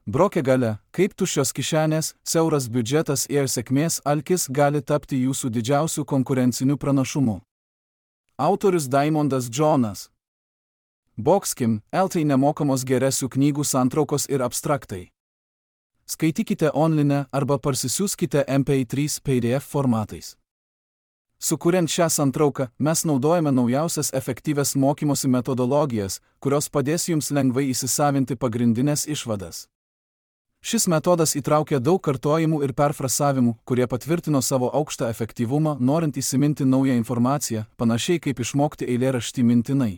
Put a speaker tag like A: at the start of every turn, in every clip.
A: Brokė galia, kaip tuščios kišenės, siauras biudžetas ir sėkmės alkis gali tapti jūsų didžiausiu konkurenciniu pranašumu. Autorius Diamondas Jonas. Boxkim, LT nemokamos geresių knygų santraukos ir abstraktai. Skaitykite online arba parsisiųskite MP3 PDF formatais. Sukuriant šią santrauką, mes naudojame naujausias efektyvias mokymosi metodologijas, kurios padės jums lengvai įsisavinti pagrindinės išvadas. Šis metodas įtraukia daug kartojimų ir perfrasavimų, kurie patvirtino savo aukštą efektyvumą, norint įsiminti naują informaciją, panašiai kaip išmokti eilėraštį mintinai.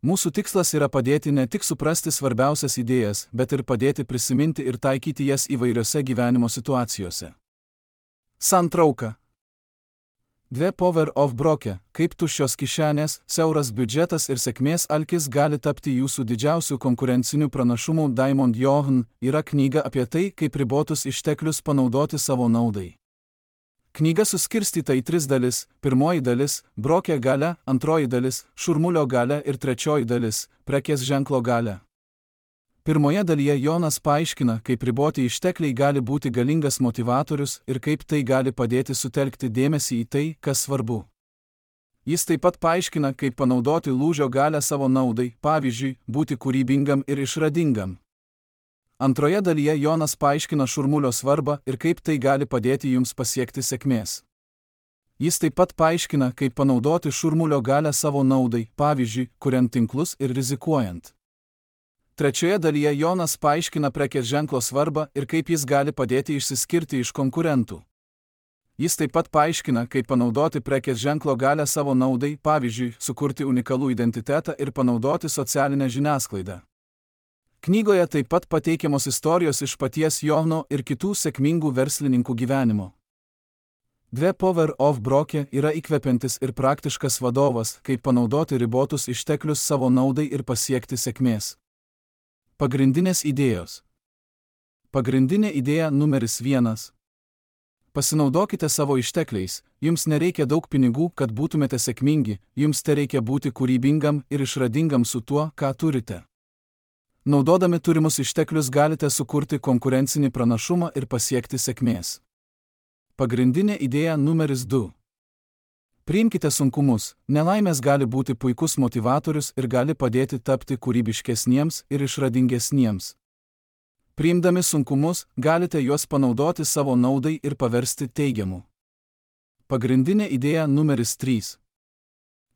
A: Mūsų tikslas yra padėti ne tik suprasti svarbiausias idėjas, bet ir padėti prisiminti ir taikyti jas įvairiose gyvenimo situacijose. Santrauka. The Power of Brokė, kaip tuščios kišenės, siauras biudžetas ir sėkmės alkis gali tapti jūsų didžiausių konkurencinių pranašumų. Diamond Johan yra knyga apie tai, kaip ribotus išteklius panaudoti savo naudai. Knyga suskirstyta į 3 dalis. Pirmoji dalis – Brokė galia, antroji dalis – Šurmulio galia ir trečioji dalis – Prekės ženklo galia. Pirmoje dalyje Jonas paaiškina, kaip riboti ištekliai gali būti galingas motivatorius ir kaip tai gali padėti sutelkti dėmesį į tai, kas svarbu. Jis taip pat paaiškina, kaip panaudoti lūžio galią savo naudai, pavyzdžiui, būti kūrybingam ir išradingam. Antroje dalyje Jonas paaiškina šurmulio svarbą ir kaip tai gali padėti jums pasiekti sėkmės. Jis taip pat paaiškina, kaip panaudoti šurmulio galią savo naudai, pavyzdžiui, kuriant tinklus ir rizikuojant. Trečioje dalyje Jonas paaiškina prekės ženklo svarbą ir kaip jis gali padėti išsiskirti iš konkurentų. Jis taip pat paaiškina, kaip panaudoti prekės ženklo galią savo naudai, pavyzdžiui, sukurti unikalų identitetą ir panaudoti socialinę žiniasklaidą. Knygoje taip pat pateikiamos istorijos iš paties Johano ir kitų sėkmingų verslininkų gyvenimo. The Power of Brokė yra įkvepiantis ir praktiškas vadovas, kaip panaudoti ribotus išteklius savo naudai ir pasiekti sėkmės. Pagrindinės idėjos. Pagrindinė idėja numeris 1. Pasinaudokite savo ištekliais, jums nereikia daug pinigų, kad būtumėte sėkmingi, jums tereikia būti kūrybingam ir išradingam su tuo, ką turite. Naudodami turimus išteklius galite sukurti konkurencinį pranašumą ir pasiekti sėkmės. Pagrindinė idėja numeris 2. Priimkite sunkumus, nelaimės gali būti puikus motivatorius ir gali padėti tapti kūrybiškesniems ir išradingesniems. Priimdami sunkumus, galite juos panaudoti savo naudai ir paversti teigiamu. Pagrindinė idėja numeris 3.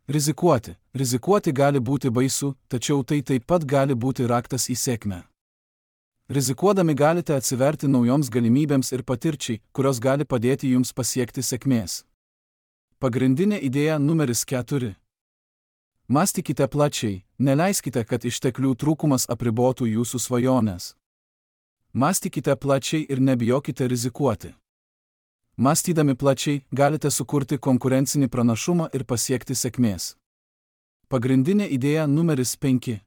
A: Rizikuoti. Rizikuoti gali būti baisu, tačiau tai taip pat gali būti raktas į sėkmę. Rizikuodami galite atsiverti naujoms galimybėms ir patirčiai, kurios gali padėti jums pasiekti sėkmės. Pagrindinė idėja numeris 4. Mąstykite plačiai, neleiskite, kad išteklių trūkumas apribotų jūsų svajones. Mąstykite plačiai ir nebijokite rizikuoti. Mąstydami plačiai, galite sukurti konkurencinį pranašumą ir pasiekti sėkmės. Pagrindinė idėja numeris 5.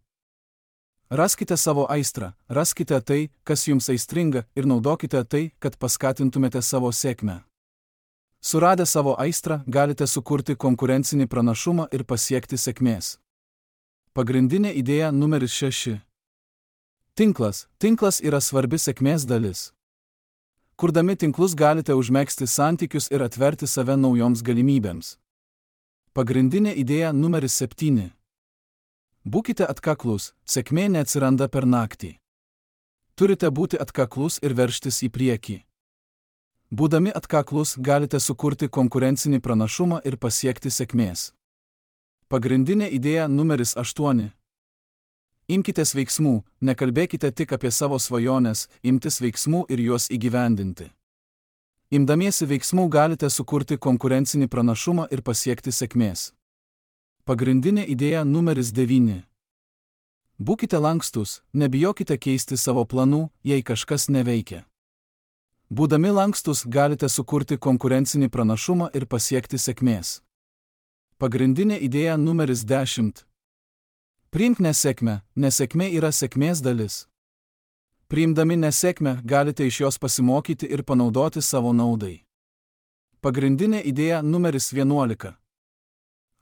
A: Raskite savo aistrą, raskite tai, kas jums aistringa, ir naudokite tai, kad paskatintumėte savo sėkmę. Suradę savo aistrą, galite sukurti konkurencinį pranašumą ir pasiekti sėkmės. Pagrindinė idėja numeris 6. Tinklas. Tinklas yra svarbi sėkmės dalis. Kurdami tinklus galite užmegzti santykius ir atverti save naujoms galimybėms. Pagrindinė idėja numeris 7. Būkite atkaklus, sėkmė neatsiranda per naktį. Turite būti atkaklus ir veržtis į priekį. Būdami atkaklus, galite sukurti konkurencinį pranašumą ir pasiekti sėkmės. Pagrindinė idėja numeris 8. Imkitės veiksmų, nekalbėkite tik apie savo svajones, imtis veiksmų ir juos įgyvendinti. Imdamiesi veiksmų galite sukurti konkurencinį pranašumą ir pasiekti sėkmės. Pagrindinė idėja numeris 9. Būkite lankstus, nebijokite keisti savo planų, jei kažkas neveikia. Būdami lankstus galite sukurti konkurencinį pranašumą ir pasiekti sėkmės. Pagrindinė idėja numeris 10. Priimk nesėkmę, nesėkmė yra sėkmės dalis. Priimdami nesėkmę galite iš jos pasimokyti ir panaudoti savo naudai. Pagrindinė idėja numeris 11.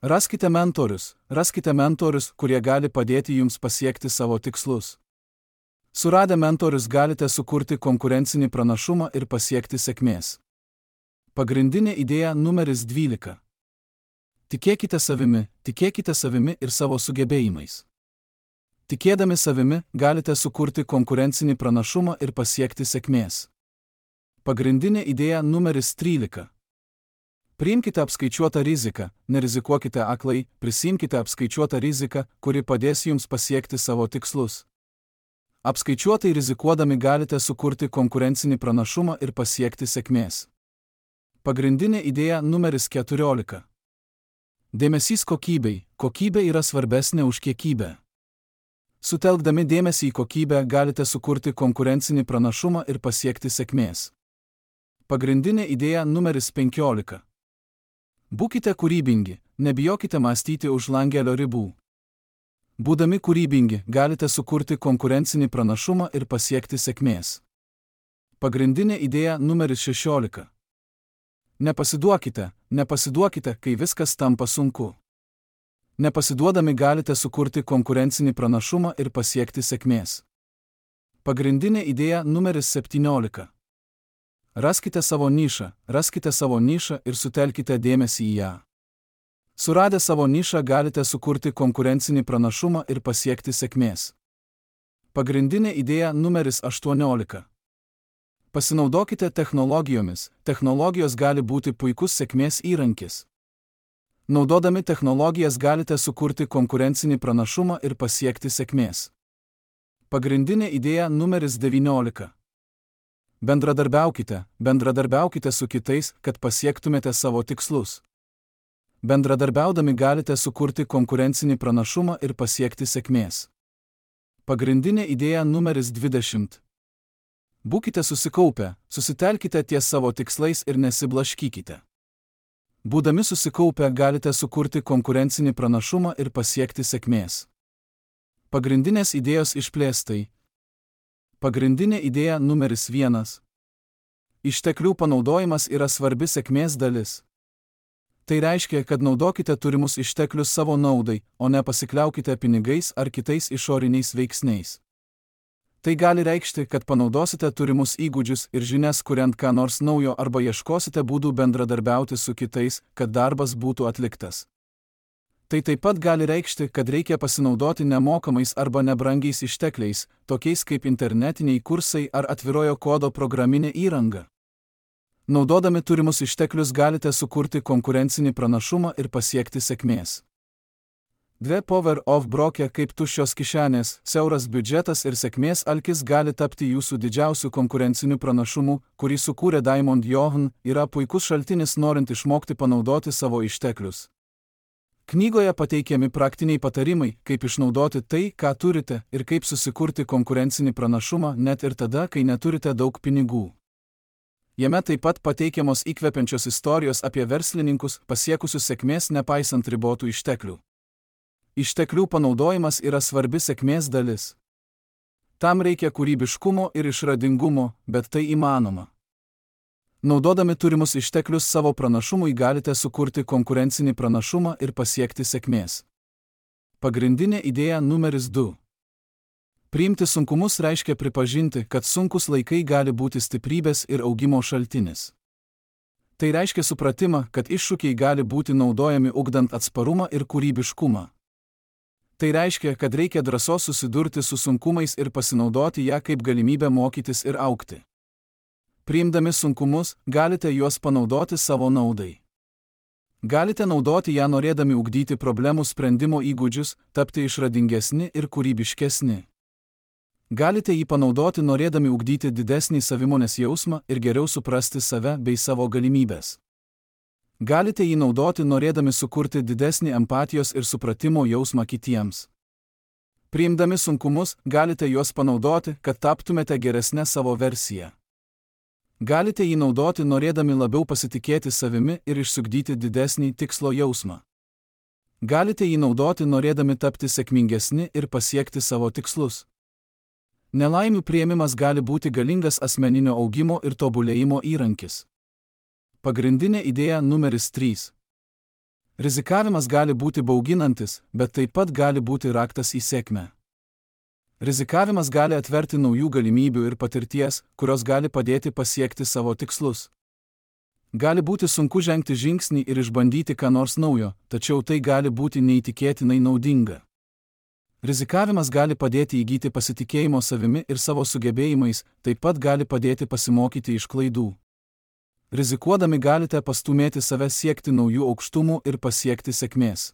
A: Raskite mentorius, kurie gali padėti jums pasiekti savo tikslus. Suradę mentorius galite sukurti konkurencinį pranašumą ir pasiekti sėkmės. Pagrindinė idėja numeris 12. Tikėkite savimi ir savo sugebėjimais. Tikėdami savimi galite sukurti konkurencinį pranašumą ir pasiekti sėkmės. Pagrindinė idėja numeris 13. Priimkite apskaičiuotą riziką, nerizikuokite aklai, prisimkite apskaičiuotą riziką, kuri padės jums pasiekti savo tikslus. Apskaičiuotai rizikuodami galite sukurti konkurencinį pranašumą ir pasiekti sėkmės. Pagrindinė idėja numeris 14. Dėmesys kokybei. Kokybė yra svarbesnė už kiekybę. Sutelkdami dėmesį į kokybę galite sukurti konkurencinį pranašumą ir pasiekti sėkmės. Pagrindinė idėja numeris 15. Būkite kūrybingi, nebijokite mąstyti už langelio ribų. Būdami kūrybingi, galite sukurti konkurencinį pranašumą ir pasiekti sėkmės. Pagrindinė idėja numeris 16. Nepasiduokite, kai viskas tampa sunku. Nepasiduodami galite sukurti konkurencinį pranašumą ir pasiekti sėkmės. Pagrindinė idėja numeris 17. Raskite savo nišą ir sutelkite dėmesį į ją. Suradę savo nišą galite sukurti konkurencinį pranašumą ir pasiekti sėkmės. Pagrindinė idėja numeris 18. Pasinaudokite technologijomis. Technologijos gali būti puikus sėkmės įrankis. Naudodami technologijas galite sukurti konkurencinį pranašumą ir pasiekti sėkmės. Pagrindinė idėja numeris 19. Bendradarbiaukite su kitais, kad pasiektumėte savo tikslus. Bendradarbiaudami galite sukurti konkurencinį pranašumą ir pasiekti sėkmės. Pagrindinė idėja numeris 20. Būkite susikaupę, susitelkite ties savo tikslais ir nesiblaškykite. Būdami susikaupę galite sukurti konkurencinį pranašumą ir pasiekti sėkmės. Pagrindinės idėjos išplėstai. Pagrindinė idėja numeris 1. Išteklių panaudojimas yra svarbi sėkmės dalis. Tai reiškia, kad naudokite turimus išteklius savo naudai, o ne pasikliaukite pinigais ar kitais išoriniais veiksniais. Tai gali reikšti, kad panaudosite turimus įgūdžius ir žinias kuriant ką nors naujo arba ieškosite būdų bendradarbiauti su kitais, kad darbas būtų atliktas. Tai taip pat gali reikšti, kad reikia pasinaudoti nemokamais arba nebrangiais ištekliais, tokiais kaip internetiniai kursai ar atvirojo kodo programinė įranga. Naudodami turimus išteklius galite sukurti konkurencinį pranašumą ir pasiekti sėkmės. 2 Power of Broke kaip tuščios kišenės, siauras biudžetas ir sėkmės alkis gali tapti jūsų didžiausiu konkurenciniu pranašumu, kurį sukūrė Diamond Johann, yra puikus šaltinis norint išmokti panaudoti savo išteklius. Knygoje pateikiami praktiniai patarimai, kaip išnaudoti tai, ką turite, ir kaip susikurti konkurencinį pranašumą net ir tada, kai neturite daug pinigų. Jame taip pat pateikiamos įkvepiančios istorijos apie verslininkus, pasiekusius sėkmės nepaisant ribotų išteklių. Išteklių panaudojimas yra svarbi sėkmės dalis. Tam reikia kūrybiškumo ir išradingumo, bet tai įmanoma. Naudodami turimus išteklius savo pranašumui galite sukurti konkurencinį pranašumą ir pasiekti sėkmės. Pagrindinė idėja numeris 2. Priimti sunkumus reiškia pripažinti, kad sunkus laikai gali būti stiprybės ir augimo šaltinis. Tai reiškia supratimą, kad iššūkiai gali būti naudojami ugdant atsparumą ir kūrybiškumą. Tai reiškia, kad reikia drąsos susidurti su sunkumais ir pasinaudoti ją kaip galimybę mokytis ir augti. Priimdami sunkumus, galite juos panaudoti savo naudai. Galite naudoti ją norėdami ugdyti problemų sprendimo įgūdžius, tapti išradingesni ir kūrybiškesni. Galite jį panaudoti norėdami ugdyti didesnį savimonės jausmą ir geriau suprasti save bei savo galimybės. Galite jį naudoti norėdami sukurti didesnį empatijos ir supratimo jausmą kitiems. Priimdami sunkumus, galite juos panaudoti, kad taptumėte geresnę savo versiją. Galite jį naudoti norėdami labiau pasitikėti savimi ir išsiugdyti didesnį tikslo jausmą. Galite jį naudoti norėdami tapti sėkmingesni ir pasiekti savo tikslus. Nelaimių priėmimas gali būti galingas asmeninio augimo ir tobulėjimo įrankis. Pagrindinė idėja numeris 3. Rizikavimas gali būti bauginantis, bet taip pat gali būti raktas į sėkmę. Rizikavimas gali atverti naujų galimybių ir patirties, kurios gali padėti pasiekti savo tikslus. Gali būti sunku žengti žingsnį ir išbandyti ką nors naujo, tačiau tai gali būti neįtikėtinai naudinga. Rizikavimas gali padėti įgyti pasitikėjimo savimi ir savo sugebėjimais, taip pat gali padėti pasimokyti iš klaidų. Rizikuodami galite pastumėti save siekti naujų aukštumų ir pasiekti sėkmės.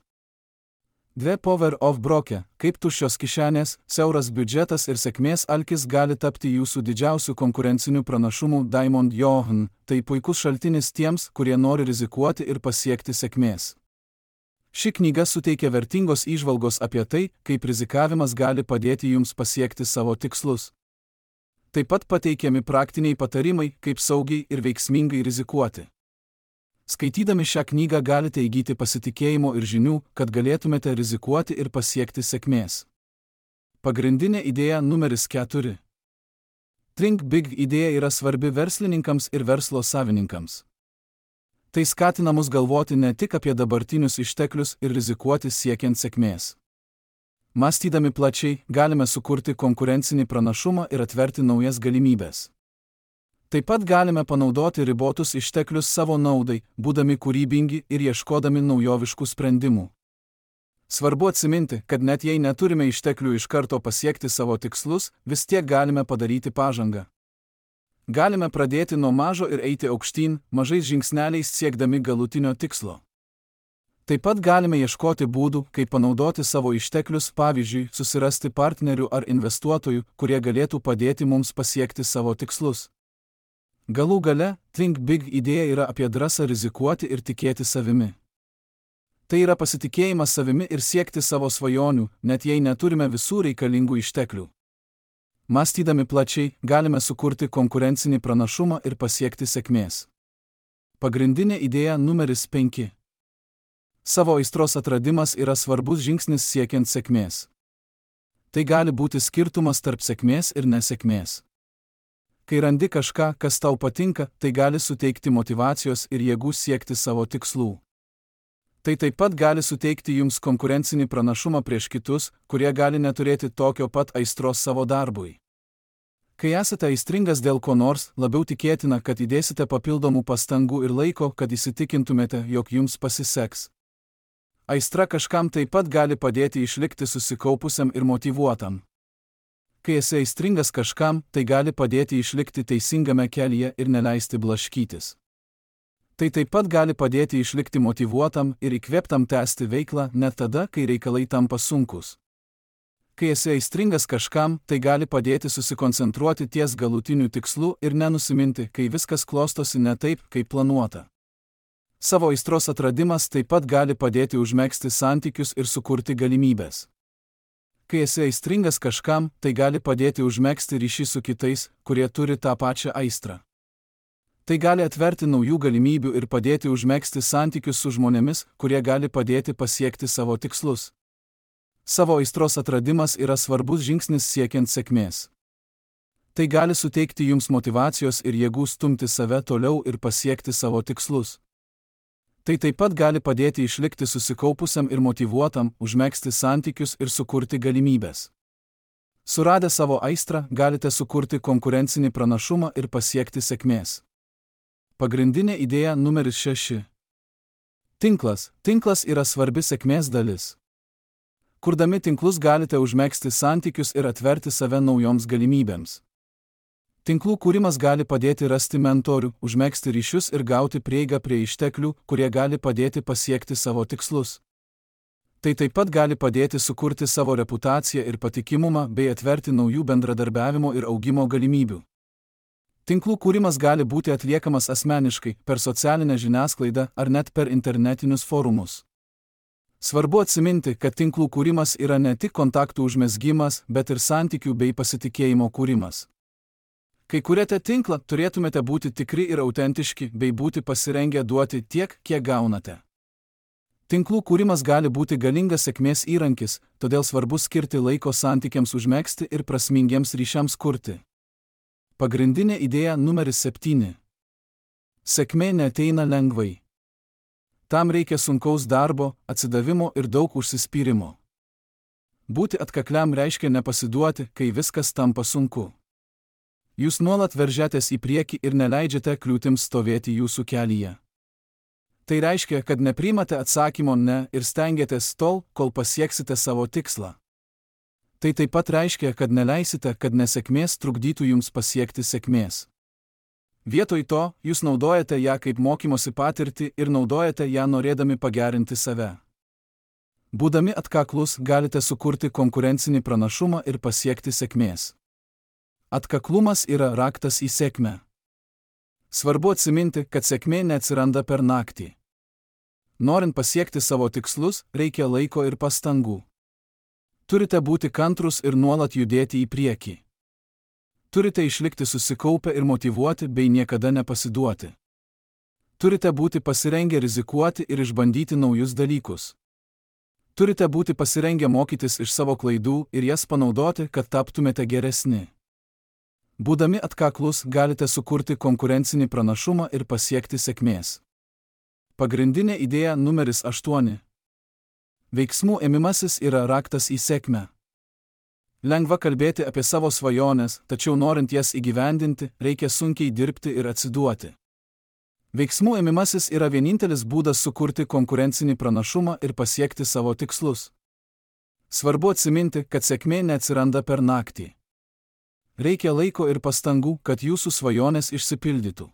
A: 2 Power of Broke, kaip tuščios kišenės, siauras biudžetas ir sėkmės alkis gali tapti jūsų didžiausių konkurencinių pranašumų. Diamond Johan, tai puikus šaltinis tiems, kurie nori rizikuoti ir pasiekti sėkmės. Ši knyga suteikia vertingos įžvalgos apie tai, kaip rizikavimas gali padėti jums pasiekti savo tikslus. Taip pat pateikiami praktiniai patarimai, kaip saugiai ir veiksmingai rizikuoti. Skaitydami šią knygą galite įgyti pasitikėjimo ir žinių, kad galėtumėte rizikuoti ir pasiekti sėkmės. Pagrindinė idėja numeris 4. Think Big idėja yra svarbi verslininkams ir verslo savininkams. Tai skatina mus galvoti ne tik apie dabartinius išteklius ir rizikuoti siekiant sėkmės. Mąstydami plačiai, galime sukurti konkurencinį pranašumą ir atverti naujas galimybės. Taip pat galime panaudoti ribotus išteklius savo naudai, būdami kūrybingi ir ieškodami naujoviškų sprendimų. Svarbu atsiminti, kad net jei neturime išteklių iš karto pasiekti savo tikslus, vis tiek galime padaryti pažangą. Galime pradėti nuo mažo ir eiti aukštyn, mažais žingsneliais siekdami galutinio tikslo. Taip pat galime ieškoti būdų, kaip panaudoti savo išteklius, pavyzdžiui, susirasti partnerių ar investuotojų, kurie galėtų padėti mums pasiekti savo tikslus. Galų gale, Think Big idėja yra apie drąsą rizikuoti ir tikėti savimi. Tai yra pasitikėjimas savimi ir siekti savo svajonių, net jei neturime visų reikalingų išteklių. Mąstydami plačiai, galime sukurti konkurencinį pranašumą ir pasiekti sėkmės. Pagrindinė idėja numeris 5. Savo aistros atradimas yra svarbus žingsnis siekiant sėkmės. Tai gali būti skirtumas tarp sėkmės ir nesėkmės. Kai randi kažką, kas tau patinka, tai gali suteikti motyvacijos ir jėgų siekti savo tikslų. Tai taip pat gali suteikti jums konkurencinį pranašumą prieš kitus, kurie gali neturėti tokio pat aistros savo darbui. Kai esate aistringas dėl ko nors, labiau tikėtina, kad įdėsite papildomų pastangų ir laiko, kad įsitikintumėte, jog jums pasiseks. Aistra kažkam taip pat gali padėti išlikti susikaupusiam ir motyvuotam. Kai esi aistringas kažkam, tai gali padėti išlikti teisingame kelyje ir neleisti blaškytis. Tai taip pat gali padėti išlikti motyvuotam ir įkvėptam tęsti veiklą net tada, kai reikalai tampa sunkus. Kai esi aistringas kažkam, tai gali padėti susikoncentruoti ties galutiniu tikslu ir nenusiminti, kai viskas klostosi ne taip, kaip planuota. Savo aistros atradimas taip pat gali padėti užmegzti santykius ir sukurti galimybės. Kai esi aistringas kažkam, tai gali padėti užmegzti ryšį su kitais, kurie turi tą pačią aistrą. Tai gali atverti naujų galimybių ir padėti užmegzti santykius su žmonėmis, kurie gali padėti pasiekti savo tikslus. Savo aistros atradimas yra svarbus žingsnis siekiant sėkmės. Tai gali suteikti jums motyvacijos ir jėgų stumti save toliau ir pasiekti savo tikslus. Tai taip pat gali padėti išlikti susikaupusiam ir motyvuotam, užmegzti santykius ir sukurti galimybės. Suradę savo aistrą, galite sukurti konkurencinį pranašumą ir pasiekti sėkmės. Pagrindinė idėja numeris 6. Tinklas. Tinklas yra svarbi sėkmės dalis. Kurdami tinklus galite užmegzti santykius ir atverti save naujoms galimybėms. Tinklų kūrimas gali padėti rasti mentorių, užmegzti ryšius ir gauti prieigą prie išteklių, kurie gali padėti pasiekti savo tikslus. Tai taip pat gali padėti sukurti savo reputaciją ir patikimumą bei atverti naujų bendradarbiavimo ir augimo galimybių. Tinklų kūrimas gali būti atliekamas asmeniškai, per socialinę žiniasklaidą ar net per internetinius forumus. Svarbu atsiminti, kad tinklų kūrimas yra ne tik kontaktų užmezgimas, bet ir santykių bei pasitikėjimo kūrimas. Kai kuriate tinklą, turėtumėte būti tikri ir autentiški, bei būti pasirengę duoti tiek, kiek gaunate. Tinklų kūrimas gali būti galingas sėkmės įrankis, todėl svarbu skirti laiko santykiams užmegzti ir prasmingiems ryšiams kurti. Pagrindinė idėja numeris 7. Sėkmė neateina lengvai. Tam reikia sunkaus darbo, atsidavimo ir daug užsispyrimo. Būti atkakliam reiškia nepasiduoti, kai viskas tampa sunku. Jūs nuolat veržiatės į priekį ir neleidžiate kliūtims stovėti jūsų kelyje. Tai reiškia, kad nepriimate atsakymo ne ir stengiatės tol, kol pasieksite savo tikslą. Tai taip pat reiškia, kad neleisite, kad nesėkmės trukdytų jums pasiekti sėkmės. Vietoj to, jūs naudojate ją kaip mokymosi patirtį ir naudojate ją norėdami pagerinti save. Būdami atkaklus, galite sukurti konkurencinį pranašumą ir pasiekti sėkmės. Atkaklumas yra raktas į sėkmę. Svarbu atsiminti, kad sėkmė neatsiranda per naktį. Norint pasiekti savo tikslus, reikia laiko ir pastangų. Turite būti kantrus ir nuolat judėti į priekį. Turite išlikti susikaupę ir motyvuoti bei niekada nepasiduoti. Turite būti pasirengę rizikuoti ir išbandyti naujus dalykus. Turite būti pasirengę mokytis iš savo klaidų ir jas panaudoti, kad taptumėte geresni. Būdami atkaklus, galite sukurti konkurencinį pranašumą ir pasiekti sėkmės. Pagrindinė idėja numeris 8. Veiksmų ėmimasis yra raktas į sėkmę. Lengva kalbėti apie savo svajones, tačiau norint jas įgyvendinti, reikia sunkiai dirbti ir atsiduoti. Veiksmų ėmimasis yra vienintelis būdas sukurti konkurencinį pranašumą ir pasiekti savo tikslus. Svarbu atsiminti, kad sėkmė neatsiranda per naktį. Reikia laiko ir pastangų, kad jūsų svajonės išsipildytų.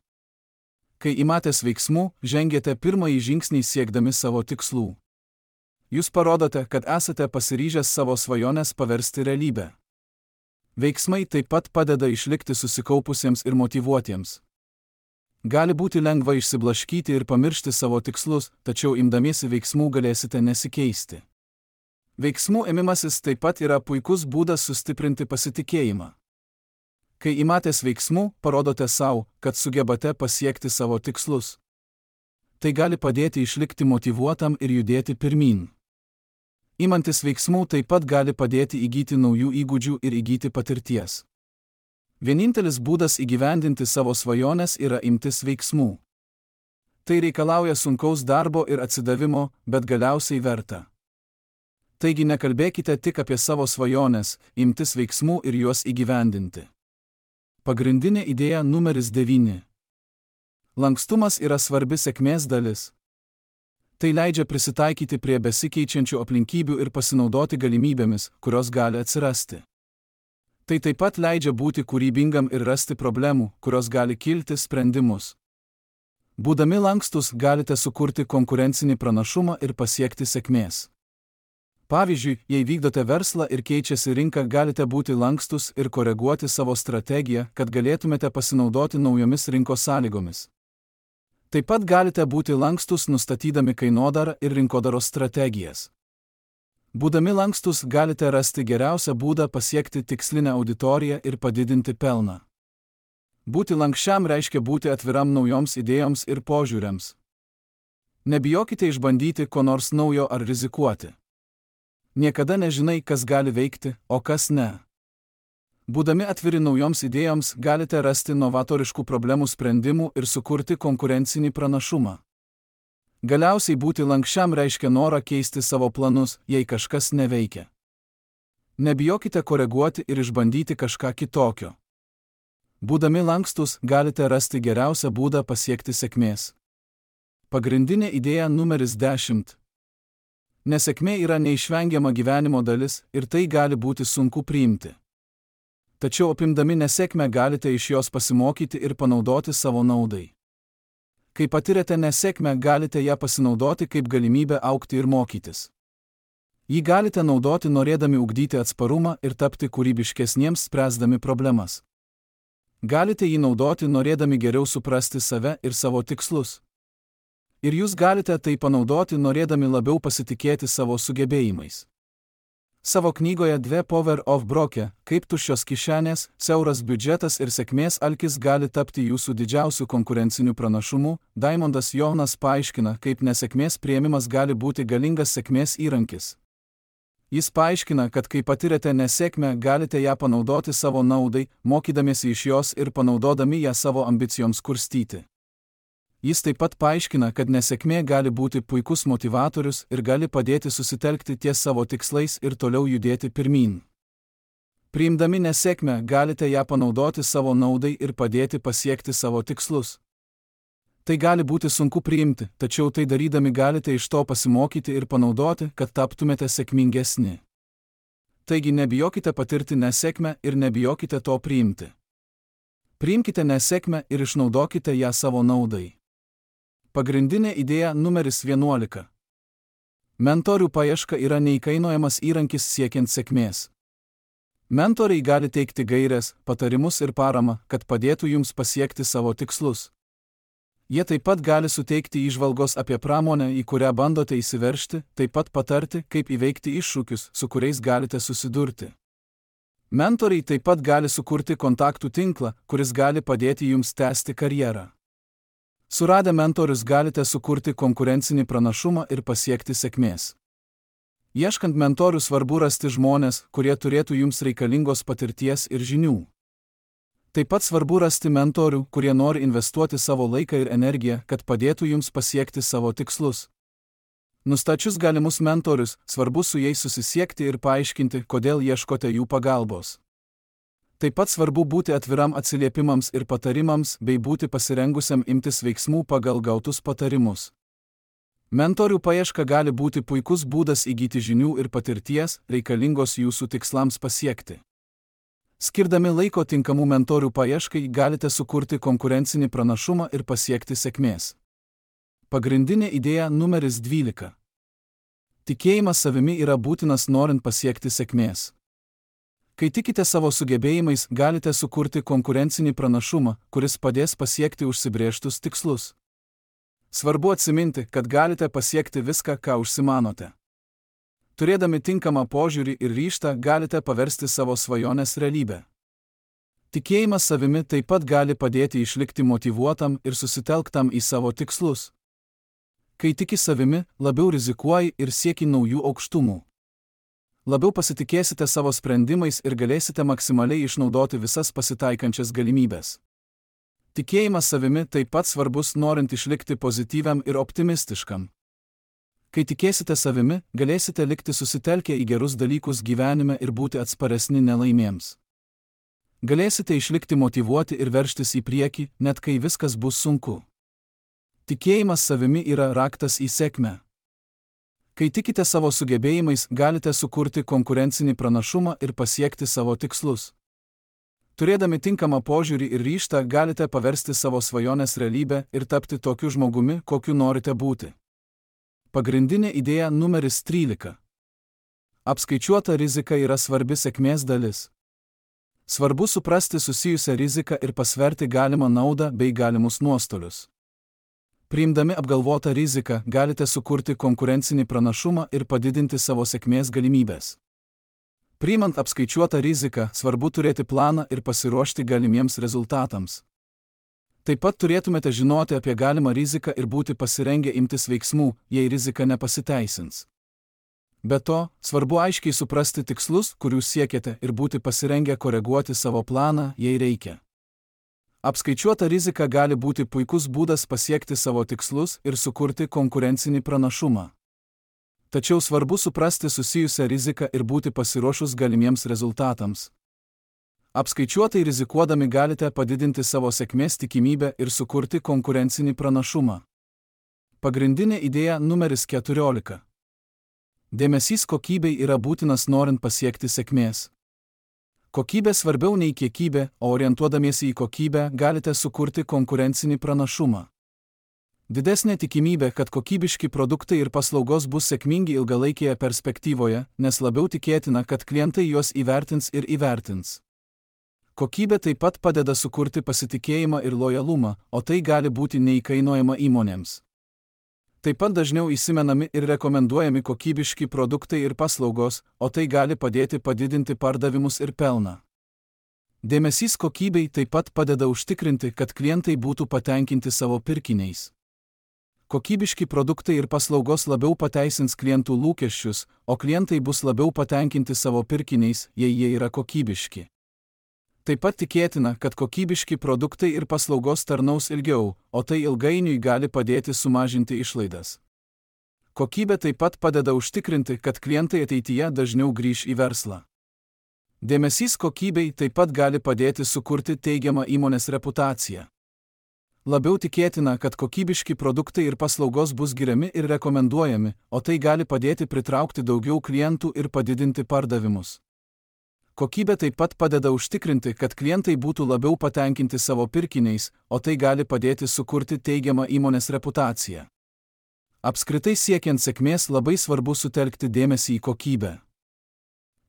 A: Kai imatės veiksmų, žengėte pirmąjį žingsnį siekdami savo tikslų. Jūs parodote, kad esate pasiryžęs savo svajonės paversti realybę. Veiksmai taip pat padeda išlikti susikaupusiems ir motyvuotiems. Gali būti lengva išsiblaškyti ir pamiršti savo tikslus, tačiau imdamiesi veiksmų galėsite nesikeisti. Veiksmų ėmimasis taip pat yra puikus būdas sustiprinti pasitikėjimą. Kai imatės veiksmų, parodote savo, kad sugebate pasiekti savo tikslus. Tai gali padėti išlikti motyvuotam ir judėti pirmyn. Imantis veiksmų taip pat gali padėti įgyti naujų įgūdžių ir įgyti patirties. Vienintelis būdas įgyvendinti savo svajones yra imtis veiksmų. Tai reikalauja sunkaus darbo ir atsidavimo, bet galiausiai verta. Taigi nekalbėkite tik apie savo svajones, imtis veiksmų ir juos įgyvendinti. Pagrindinė idėja numeris 9. Lankstumas yra svarbi sėkmės dalis. Tai leidžia prisitaikyti prie besikeičiančių aplinkybių ir pasinaudoti galimybėmis, kurios gali atsirasti. Tai taip pat leidžia būti kūrybingam ir rasti problemų, kurios gali kilti, sprendimus. Būdami lankstus, galite sukurti konkurencinį pranašumą ir pasiekti sėkmės. Pavyzdžiui, jei vykdote verslą ir keičiasi rinka, galite būti lankstus ir koreguoti savo strategiją, kad galėtumėte pasinaudoti naujomis rinkos sąlygomis. Taip pat galite būti lankstus nustatydami kainodarą ir rinkodaros strategijas. Būdami lankstus, galite rasti geriausią būdą pasiekti tikslinę auditoriją ir padidinti pelną. Būti lankščiam reiškia būti atviram naujoms idėjoms ir požiūriams. Nebijokite išbandyti ko nors naujo ar rizikuoti. Niekada nežinai, kas gali veikti, o kas ne. Būdami atviri naujoms idėjoms, galite rasti novatoriškų problemų sprendimų ir sukurti konkurencinį pranašumą. Galiausiai būti lankščiam reiškia norą keisti savo planus, jei kažkas neveikia. Nebijokite koreguoti ir išbandyti kažką kitokio. Būdami lankstus, galite rasti geriausią būdą pasiekti sėkmės. Pagrindinė idėja numeris 10. Nesėkmė yra neišvengiama gyvenimo dalis ir tai gali būti sunku priimti. Tačiau apimdami nesėkmę galite iš jos pasimokyti ir panaudoti savo naudai. Kai patirėte nesėkmę, galite ją pasinaudoti kaip galimybę augti ir mokytis. Jį galite naudoti norėdami ugdyti atsparumą ir tapti kūrybiškesniems spręsdami problemas. Galite jį naudoti norėdami geriau suprasti save ir savo tikslus. Ir jūs galite tai panaudoti norėdami labiau pasitikėti savo sugebėjimais. Savo knygoje The Power of Broke, kaip tuščios kišenės, siauras biudžetas ir sėkmės alkis gali tapti jūsų didžiausiu konkurenciniu pranašumu, Daimondas Jonas paaiškina, kaip nesėkmės priėmimas gali būti galingas sėkmės įrankis. Jis paaiškina, kad kai patirėte nesėkmę, galite ją panaudoti savo naudai, mokydamiesi iš jos ir panaudodami ją savo ambicijoms kurstyti. Jis taip pat paaiškina, kad nesėkmė gali būti puikus motivatorius ir gali padėti susitelkti ties savo tikslais ir toliau judėti pirmyn. Priimdami nesėkmę galite ją panaudoti savo naudai ir padėti pasiekti savo tikslus. Tai gali būti sunku priimti, tačiau tai darydami galite iš to pasimokyti ir panaudoti, kad taptumėte sėkmingesni. Taigi nebijokite patirti nesėkmę ir nebijokite to priimti. Priimkite nesėkmę ir išnaudokite ją savo naudai. Pagrindinė idėja numeris 11. Mentorių paieška yra neįkainojamas įrankis siekiant sėkmės. Mentoriai gali teikti gaires, patarimus ir paramą, kad padėtų jums pasiekti savo tikslus. Jie taip pat gali suteikti įžvalgos apie pramonę, į kurią bandote įsiveržti, taip pat patarti, kaip įveikti iššūkius, su kuriais galite susidurti. Mentoriai taip pat gali sukurti kontaktų tinklą, kuris gali padėti jums tęsti karjerą. Suradę mentorius galite sukurti konkurencinį pranašumą ir pasiekti sėkmės. Ieškant mentorių svarbu rasti žmones, kurie turėtų jums reikalingos patirties ir žinių. Taip pat svarbu rasti mentorių, kurie nori investuoti savo laiką ir energiją, kad padėtų jums pasiekti savo tikslus. Nustačius galimus mentorius, svarbu su jais susisiekti ir paaiškinti, kodėl ieškote jų pagalbos. Taip pat svarbu būti atviram atsiliepimams ir patarimams bei būti pasirengusiam imtis veiksmų pagal gautus patarimus. Mentorių paieška gali būti puikus būdas įgyti žinių ir patirties, reikalingos jūsų tikslams pasiekti. Skirdami laiko tinkamų mentorių paieškai galite sukurti konkurencinį pranašumą ir pasiekti sėkmės. Pagrindinė idėja numeris 12. Tikėjimas savimi yra būtinas norint pasiekti sėkmės. Kai tikite savo sugebėjimais, galite sukurti konkurencinį pranašumą, kuris padės pasiekti užsibrėžtus tikslus. Svarbu atsiminti, kad galite pasiekti viską, ką užsimanote. Turėdami tinkamą požiūrį ir ryžtą, galite paversti savo svajonės realybę. Tikėjimas savimi taip pat gali padėti išlikti motyvuotam ir susitelktam į savo tikslus. Kai tiki savimi, labiau rizikuoji ir sieki naujų aukštumų. Labiau pasitikėsite savo sprendimais ir galėsite maksimaliai išnaudoti visas pasitaikančias galimybės. Tikėjimas savimi taip pat svarbus norint išlikti pozityviam ir optimistiškam. Kai tikėsite savimi, galėsite likti susitelkę į gerus dalykus gyvenime ir būti atsparesni nelaimėms. Galėsite išlikti motyvuoti ir veržtis į priekį, net kai viskas bus sunku. Tikėjimas savimi yra raktas į sėkmę. Kai tikite savo sugebėjimais, galite sukurti konkurencinį pranašumą ir pasiekti savo tikslus. Turėdami tinkamą požiūrį ir ryžtą, galite paversti savo svajonės realybę ir tapti tokiu žmogumi, kokiu norite būti. Pagrindinė idėja numeris 13. Apskaičiuota rizika yra svarbi sėkmės dalis. Svarbu suprasti susijusią riziką ir pasverti galimą naudą bei galimus nuostolius. Priimdami apgalvotą riziką, galite sukurti konkurencinį pranašumą ir padidinti savo sėkmės galimybės. Priimant apskaičiuotą riziką, svarbu turėti planą ir pasiruošti galimiems rezultatams. Taip pat turėtumėte žinoti apie galimą riziką ir būti pasirengę imtis veiksmų, jei rizika nepasiteisins. Be to, svarbu aiškiai suprasti tikslus, kurių siekiate, ir būti pasirengę koreguoti savo planą, jei reikia. Apskaičiuota rizika gali būti puikus būdas pasiekti savo tikslus ir sukurti konkurencinį pranašumą. Tačiau svarbu suprasti susijusią riziką ir būti pasiruošus galimiems rezultatams. Apskaičiuotai rizikuodami galite padidinti savo sėkmės tikimybę ir sukurti konkurencinį pranašumą. Pagrindinė idėja numeris 14. Dėmesys kokybei yra būtinas norint pasiekti sėkmės. Kokybė svarbiau nei kiekybė, o orientuodamiesi į kokybę galite sukurti konkurencinį pranašumą. Didesnė tikimybė, kad kokybiški produktai ir paslaugos bus sėkmingi ilgalaikėje perspektyvoje, nes labiau tikėtina, kad klientai juos įvertins ir įvertins. Kokybė taip pat padeda sukurti pasitikėjimą ir lojalumą, o tai gali būti neįkainojama įmonėms. Taip pat dažniau įsimenami ir rekomenduojami kokybiški produktai ir paslaugos, o tai gali padėti padidinti pardavimus ir pelną. Dėmesys kokybei taip pat padeda užtikrinti, kad klientai būtų patenkinti savo pirkiniais. Kokybiški produktai ir paslaugos labiau pateisins klientų lūkesčius, o klientai bus labiau patenkinti savo pirkiniais, jei jie yra kokybiški. Taip pat tikėtina, kad kokybiški produktai ir paslaugos tarnaus ilgiau, o tai ilgainiui gali padėti sumažinti išlaidas. Kokybė taip pat padeda užtikrinti, kad klientai ateityje dažniau grįš į verslą. Dėmesys kokybei taip pat gali padėti sukurti teigiamą įmonės reputaciją. Labiau tikėtina, kad kokybiški produktai ir paslaugos bus giriami ir rekomenduojami, o tai gali padėti pritraukti daugiau klientų ir padidinti pardavimus. Kokybė taip pat padeda užtikrinti, kad klientai būtų labiau patenkinti savo pirkiniais, o tai gali padėti sukurti teigiamą įmonės reputaciją. Apskritai siekiant sėkmės labai svarbu sutelkti dėmesį į kokybę.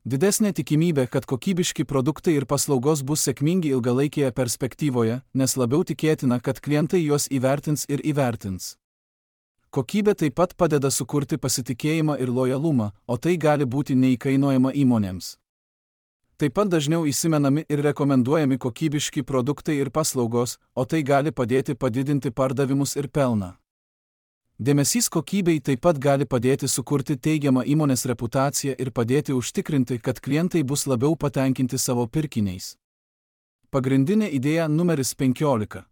A: Didesnė tikimybė, kad kokybiški produktai ir paslaugos bus sėkmingi ilgalaikėje perspektyvoje, nes labiau tikėtina, kad klientai juos įvertins ir įvertins. Kokybė taip pat padeda sukurti pasitikėjimą ir lojalumą, o tai gali būti neįkainojama įmonėms. Taip pat dažniau įsimenami ir rekomenduojami kokybiški produktai ir paslaugos, o tai gali padėti padidinti pardavimus ir pelną. Dėmesys kokybei taip pat gali padėti sukurti teigiamą įmonės reputaciją ir padėti užtikrinti, kad klientai bus labiau patenkinti savo pirkiniais. Pagrindinė idėja numeris 15.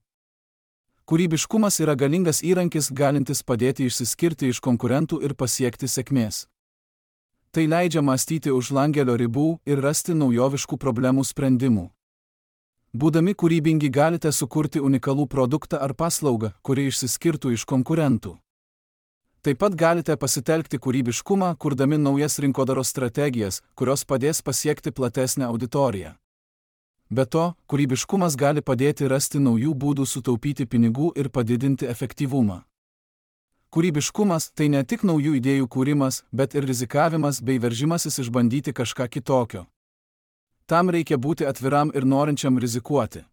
A: Kūrybiškumas yra galingas įrankis, galintis padėti išsiskirti iš konkurentų ir pasiekti sėkmės. Tai leidžia mąstyti už langelio ribų ir rasti naujoviškų problemų sprendimų. Būdami kūrybingi galite sukurti unikalų produktą ar paslaugą, kuri išsiskirtų iš konkurentų. Taip pat galite pasitelkti kūrybiškumą, kurdami naujas rinkodaros strategijas, kurios padės pasiekti platesnę auditoriją. Be to, kūrybiškumas gali padėti rasti naujų būdų sutaupyti pinigų ir padidinti efektyvumą. Kūrybiškumas tai ne tik naujų idėjų kūrimas, bet ir rizikavimas bei veržimasis išbandyti kažką kitokio. Tam reikia būti atviram ir norinčiam rizikuoti.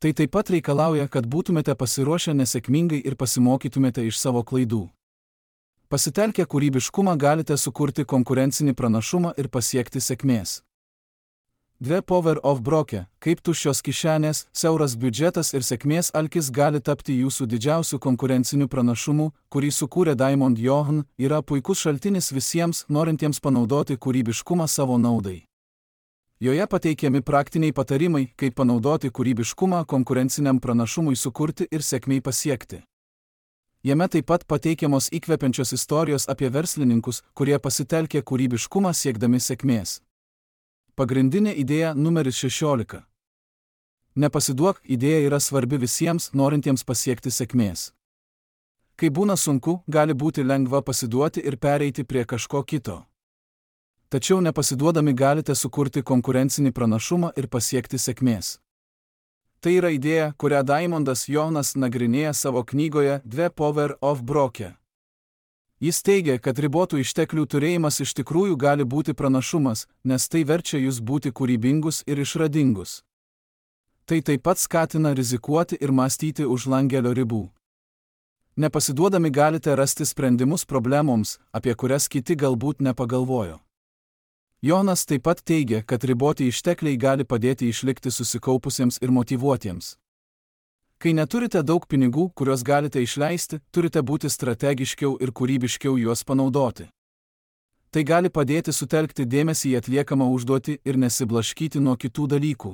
A: Tai taip pat reikalauja, kad būtumėte pasiruošę nesėkmingai ir pasimokytumėte iš savo klaidų. Pasitelkę kūrybiškumą galite sukurti konkurencinį pranašumą ir pasiekti sėkmės. 2 Power of Broke, kaip tuščios kišenės, siauras biudžetas ir sėkmės alkis gali tapti jūsų didžiausiu konkurenciniu pranašumu, kurį sukūrė Diamond Johann, yra puikus šaltinis visiems, norintiems panaudoti kūrybiškumą savo naudai. Joje pateikiami praktiniai patarimai, kaip panaudoti kūrybiškumą konkurenciniam pranašumui sukurti ir sėkmei pasiekti. Jame taip pat pateikiamos įkvepiančios istorijos apie verslininkus, kurie pasitelkė kūrybiškumą siekdami sėkmės. Pagrindinė idėja numeris 16. Nepasiduok, idėja yra svarbi visiems, norintiems pasiekti sėkmės. Kai būna sunku, gali būti lengva pasiduoti ir pereiti prie kažko kito. Tačiau nepasiduodami galite sukurti konkurencinį pranašumą ir pasiekti sėkmės. Tai yra idėja, kurią Diamondas Johannas nagrinėja savo knygoje 2 Power of Broke. Jis teigia, kad ribotų išteklių turėjimas iš tikrųjų gali būti pranašumas, nes tai verčia jūs būti kūrybingus ir išradingus. Tai taip pat skatina rizikuoti ir mąstyti už langelio ribų. Nepasiduodami galite rasti sprendimus problemoms, apie kurias kiti galbūt nepagalvojo. Jonas taip pat teigia, kad riboti ištekliai gali padėti išlikti susikaupusiems ir motyvuotiems. Kai neturite daug pinigų, kuriuos galite išleisti, turite būti strategiškiau ir kūrybiškiau juos panaudoti. Tai gali padėti sutelkti dėmesį į atliekamą užduotį ir nesiblaškyti nuo kitų dalykų.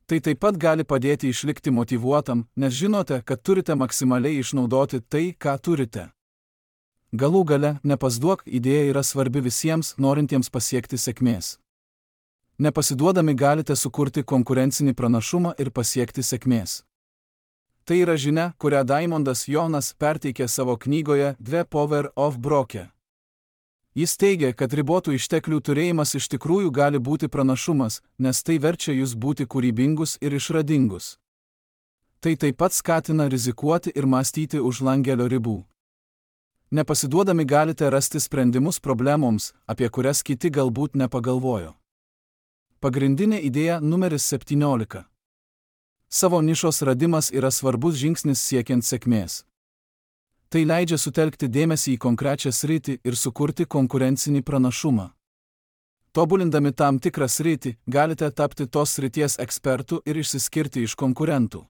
A: Tai taip pat gali padėti išlikti motyvuotam, nes žinote, kad turite maksimaliai išnaudoti tai, ką turite. Galų gale, nepasiduok, idėja yra svarbi visiems, norintiems pasiekti sėkmės. Nepasiduodami galite sukurti konkurencinį pranašumą ir pasiekti sėkmės. Tai yra žinia, kurią Diamondas Johannas perteikė savo knygoje 2 Power of Broke. Jis teigia, kad ribotų išteklių turėjimas iš tikrųjų gali būti pranašumas, nes tai verčia jūs būti kūrybingus ir išradingus. Tai taip pat skatina rizikuoti ir mąstyti už langelio ribų. Nepasiduodami galite rasti sprendimus problemoms, apie kurias kiti galbūt nepagalvojo. Pagrindinė idėja numeris 17. Savo nišos radimas yra svarbus žingsnis siekiant sėkmės. Tai leidžia sutelkti dėmesį į konkrečią sritį ir sukurti konkurencinį pranašumą. Tobulindami tam tikrą sritį, galite tapti tos srities ekspertų ir išsiskirti iš konkurentų.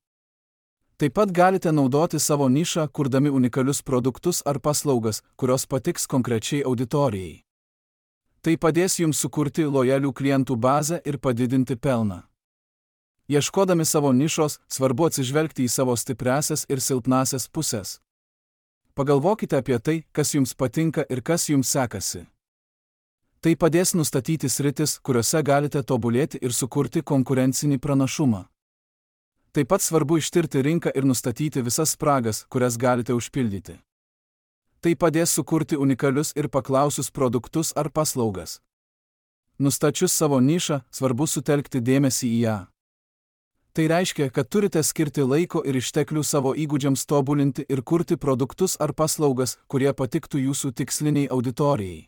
A: Taip pat galite naudoti savo nišą, kurdami unikalius produktus ar paslaugas, kurios patiks konkrečiai auditorijai. Tai padės jums sukurti lojalių klientų bazę ir padidinti pelną. Ieškodami savo nišos, svarbu atsižvelgti į savo stipriąsias ir silpnąsias pusės. Pagalvokite apie tai, kas jums patinka ir kas jums sekasi. Tai padės nustatyti sritis, kuriuose galite tobulėti ir sukurti konkurencinį pranašumą. Taip pat svarbu ištirti rinką ir nustatyti visas spragas, kurias galite užpildyti. Tai padės sukurti unikalius ir paklausius produktus ar paslaugas. Nustačius savo nišą, svarbu sutelkti dėmesį į ją. Tai reiškia, kad turite skirti laiko ir išteklių savo įgūdžiams tobulinti ir kurti produktus ar paslaugas, kurie patiktų jūsų tiksliniai auditorijai.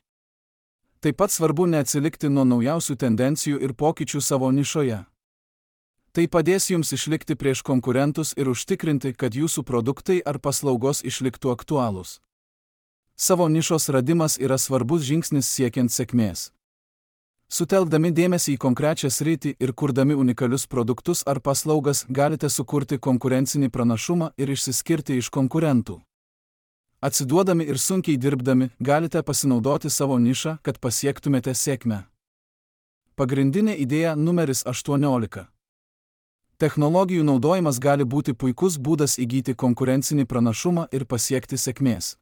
A: Taip pat svarbu neatsilikti nuo naujausių tendencijų ir pokyčių savo nišoje. Tai padės jums išlikti prieš konkurentus ir užtikrinti, kad jūsų produktai ar paslaugos išliktų aktualūs. Savo nišos radimas yra svarbus žingsnis siekiant sėkmės. Sutelkdami dėmesį į konkrečią sritį ir kurdami unikalius produktus ar paslaugas galite sukurti konkurencinį pranašumą ir išsiskirti iš konkurentų. Atsiduodami ir sunkiai dirbdami galite pasinaudoti savo nišą, kad pasiektumėte sėkmę. Pagrindinė idėja numeris 18. Technologijų naudojimas gali būti puikus būdas įgyti konkurencinį pranašumą ir pasiekti sėkmės.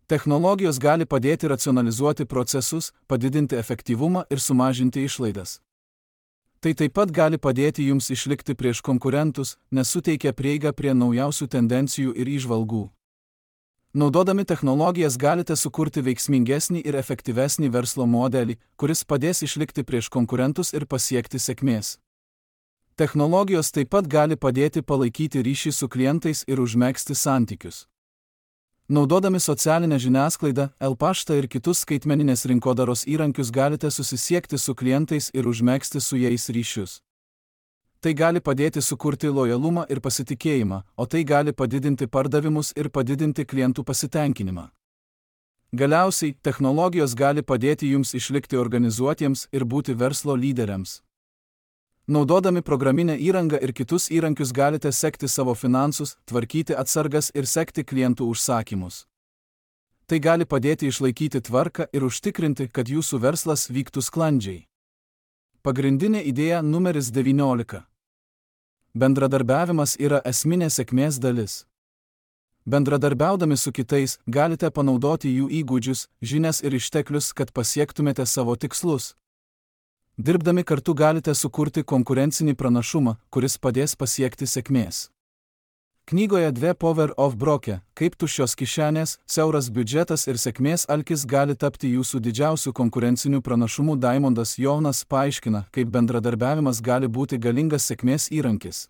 A: Technologijos gali padėti racionalizuoti procesus, padidinti efektyvumą ir sumažinti išlaidas. Tai taip pat gali padėti jums išlikti prieš konkurentus, nes suteikia prieigą prie naujausių tendencijų ir įžvalgų. Naudodami technologijas galite sukurti veiksmingesnį ir efektyvesnį verslo modelį, kuris padės išlikti prieš konkurentus ir pasiekti sėkmės. Technologijos taip pat gali padėti palaikyti ryšį su klientais ir užmegzti santykius. Naudodami socialinę žiniasklaidą, e-paštą ir kitus skaitmeninės rinkodaros įrankius galite susisiekti su klientais ir užmegzti su jais ryšius. Tai gali padėti sukurti lojalumą ir pasitikėjimą, o tai gali padidinti pardavimus ir padidinti klientų pasitenkinimą. Galiausiai, technologijos gali padėti jums išlikti organizuotiems ir būti verslo lyderiams. Naudodami programinę įrangą ir kitus įrankius galite sekti savo finansus, tvarkyti atsargas ir sekti klientų užsakymus. Tai gali padėti išlaikyti tvarką ir užtikrinti, kad jūsų verslas vyktų sklandžiai. Pagrindinė idėja numeris 19. Bendradarbiavimas yra esminė sėkmės dalis. Bendradarbiaudami su kitais, galite panaudoti jų įgūdžius, žinias ir išteklius, kad pasiektumėte savo tikslus. Dirbdami kartu galite sukurti konkurencinį pranašumą, kuris padės pasiekti sėkmės. Knygoje The Power of Broke, kaip tuščios kišenės, siauras biudžetas ir sėkmės alkis gali tapti jūsų didžiausių konkurencinių pranašumų, Daimondas Jonas paaiškina, kaip bendradarbiavimas gali būti galingas sėkmės įrankis.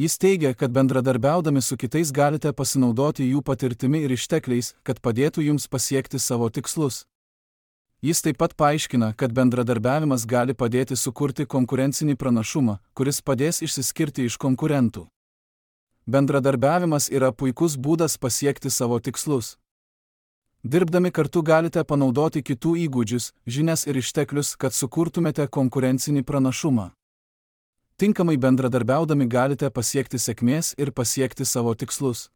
A: Jis teigia, kad bendradarbiaudami su kitais galite pasinaudoti jų patirtimi ir ištekliais, kad padėtų jums pasiekti savo tikslus. Jis taip pat paaiškina, kad bendradarbiavimas gali padėti sukurti konkurencinį pranašumą, kuris padės išsiskirti iš konkurentų. Bendradarbiavimas yra puikus būdas pasiekti savo tikslus. Dirbdami kartu galite panaudoti kitų įgūdžius, žinias ir išteklius, kad sukurtumėte konkurencinį pranašumą. Tinkamai bendradarbiaudami galite pasiekti sėkmės ir pasiekti savo tikslus.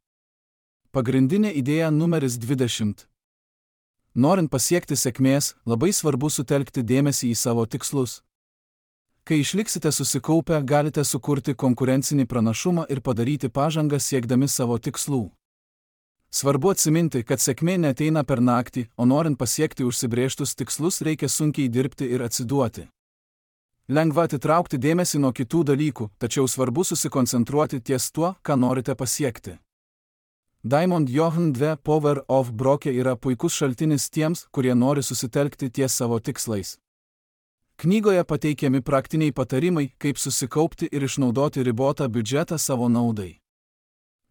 A: Pagrindinė idėja numeris 20. Norint pasiekti sėkmės, labai svarbu sutelkti dėmesį į savo tikslus. Kai išliksite susikaupę, galite sukurti konkurencinį pranašumą ir padaryti pažangą siekdami savo tikslų. Svarbu atsiminti, kad sėkmė neateina per naktį, o norint pasiekti užsibrėžtus tikslus reikia sunkiai dirbti ir atsiduoti. Lengva atitraukti dėmesį nuo kitų dalykų, tačiau svarbu susikoncentruoti ties tuo, ką norite pasiekti. Diamond Johan The Power of Broke yra puikus šaltinis tiems, kurie nori susitelkti ties savo tikslais. Knygoje pateikiami praktiniai patarimai, kaip susikaupti ir išnaudoti ribotą biudžetą savo naudai.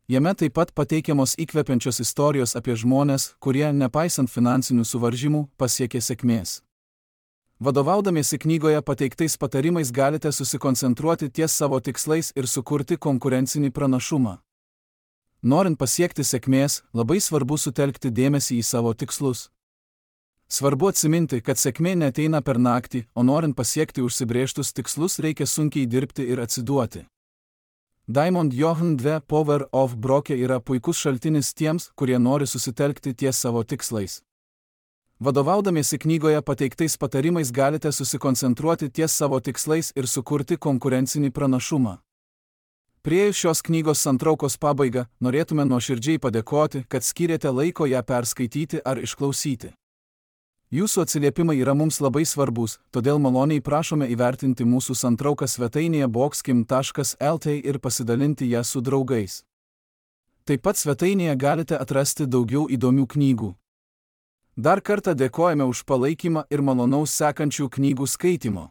A: Jame taip pat pateikiamos įkvepiančios istorijos apie žmones, kurie, nepaisant finansinių suvaržymų, pasiekė sėkmės. Vadovaudamiesi knygoje pateiktais patarimais galite susikoncentruoti ties savo tikslais ir sukurti konkurencinį pranašumą. Norint pasiekti sėkmės, labai svarbu sutelkti dėmesį į savo tikslus. Svarbu atsiminti, kad sėkmė neateina per naktį, o norint pasiekti užsibrėžtus tikslus reikia sunkiai dirbti ir atsiduoti. Diamond Johan The Power of Broke yra puikus šaltinis tiems, kurie nori susitelkti ties savo tikslais. Vadovaudamiesi knygoje pateiktais patarimais galite susikoncentruoti ties savo tikslais ir sukurti konkurencinį pranašumą. Priėjus šios knygos santraukos pabaigą, norėtume nuoširdžiai padėkoti, kad skyrėte laiko ją perskaityti ar išklausyti. Jūsų atsiliepimai yra mums labai svarbus, todėl maloniai prašome įvertinti mūsų santrauką svetainėje boxkim.lt ir pasidalinti ją su draugais. Taip pat svetainėje galite atrasti daugiau įdomių knygų. Dar kartą dėkojame už palaikymą ir malonaus sekančių knygų skaitymo.